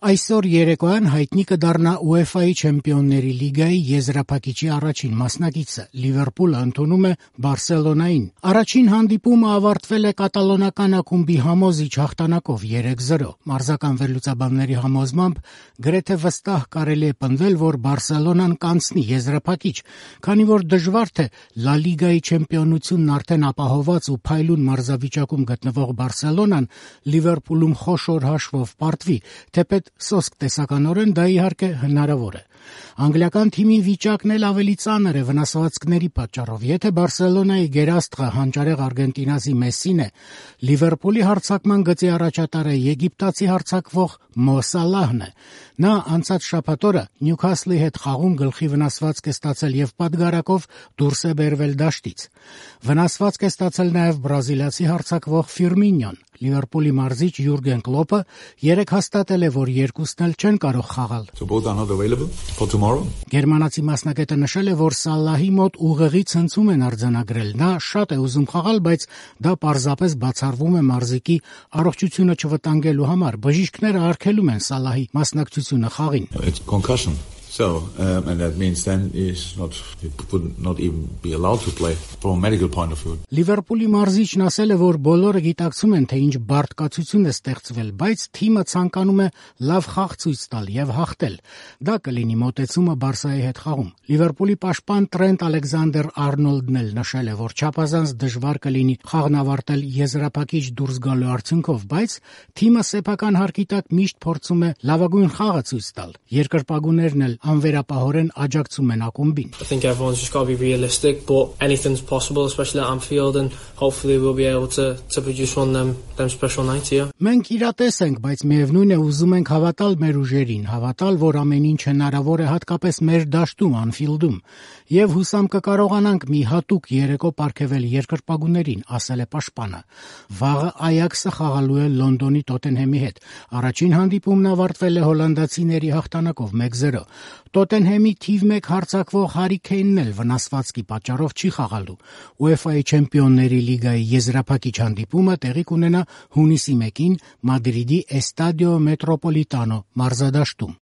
Այսօր երեկոյան հայտնի կդառնա UEFA-ի Չեմպիոնների լիգայի եզրափակիչի առաջին մասնակիցը՝ Լիվերպուլը ընդունում է Բարսելոնային։ Առաջին հանդիպումը ավարտվել է կատալոնական ակումբի համոզիչ հաղթանակով 3-0։ Մարզական վերլուծաբանների համոզմամբ գրեթե վստահ կարելի է պնդել, որ Բարսելոնան կանցնի եզրափակիչ, քանի որ դժվար թե Լա Լիգայի չեմպիոնությունն արդեն ապահոված ու փայլուն մարզավիճակում գտնվող Բարսելոնան Լիվերպուլում խոշոր հաշվով պարտվի, թեպետ սոսկ տեսականորեն դա իհարկե հնարավոր է։ Անգլիական թիմի վիճակն էլ ավելի ծանր է վնասվածքների պատճառով։ Եթե Բարսելոնայի գերաստղը հանճարեղ արգենտինացի Մեսսին է, Լիվերպուլի հարձակման գծի առաջատարը եգիպտացի հարձակվող Մո Սալահն է։ Նա անցած շաբաթ օրը Նյուքասլի հետ խաղում գլխի վնասվածք է ստացել եւ պատգարակով դուրս է բերվել դաշտից։ Վնասվածք է ստացել նաեւ բրազիլացի հարձակվող Ֆիրմինյոն։ Լիվերպուլի մարզիչ Յուրգեն Կլոպը երեկ հաստատել է, որ երկուսն էլ չեն կարող խաղալ։ Գերմանացի մասնակետը նշել է, որ Սալահի մոտ ուղեղի ցնցում են արձանագրել։ Նա շատ է ուզում խաղալ, բայց դա պարզապես բացառվում է մարզիկի առողջությունը չվտանգելու համար։ Բժիշկները արգելում են Սալահի մասնակցությունը խաղին։ And that means then he would not even be allowed to play from a medical point of view. Լիվերպուլի մարզիչն ասել է, որ բոլորը գիտակցում են, թե ինչ բարդկացություն է ստեղծվել, բայց թիմը ցանկանում է լավ խաղ ցույց տալ եւ հաղթել։ Դա կլինի մոտեցումը Բարսայի հետ խաղում։ Լիվերպուլի պաշտպան Տրենտ Ալեքսանդր-Արնոլդն էլ նշել է, որ չափազանց դժվար կլինի խաղն ավարտել եզրափակիչ դուրս գալու արդյունքով, բայց թիմը սեփական հարկի տակ միշտ փորձում է լավագույն խաղը ցույց տալ։ Երկրպագուներն էլ անվերապահորեն աջակցում են ակումբին։ I think everyone's just got to be realistic, but anything's possible, especially at Anfield, and hopefully we'll be able to produce one of them special nights here. Մենք իրատես ենք, բայց միևնույն է ուզում ենք հավատալ մեր ուժերին, հավատալ, որ ամեն ինչ հնարավոր է հատկապես մեր դաշտում Անֆիլդում, եւ հուսամ կկարողանանք մի հատուկ երեկո պարգևել երկրպագուներին, ասել է պաշտպանը։ Վաղը Այաքսը խաղալու է Լոնդոնի Տոտենհեմի հետ։ Առաջին հանդիպումն ավարտվել է հոլանդացիների հաղթանակով 1-0։ Տոտենհեմի թիվ 1 հարձակվող Հարի Քեյնն էլ վնասվածքի պատճառով չի խաղալու։ UEFA-ի Չեմպիոնների լիգայի եզրափակիչ հանդիպումը տեղի կունենա հունիսի 1-ին Մադրիդի Էստադիո Մետրոպոլիտանո մարզադաշտում։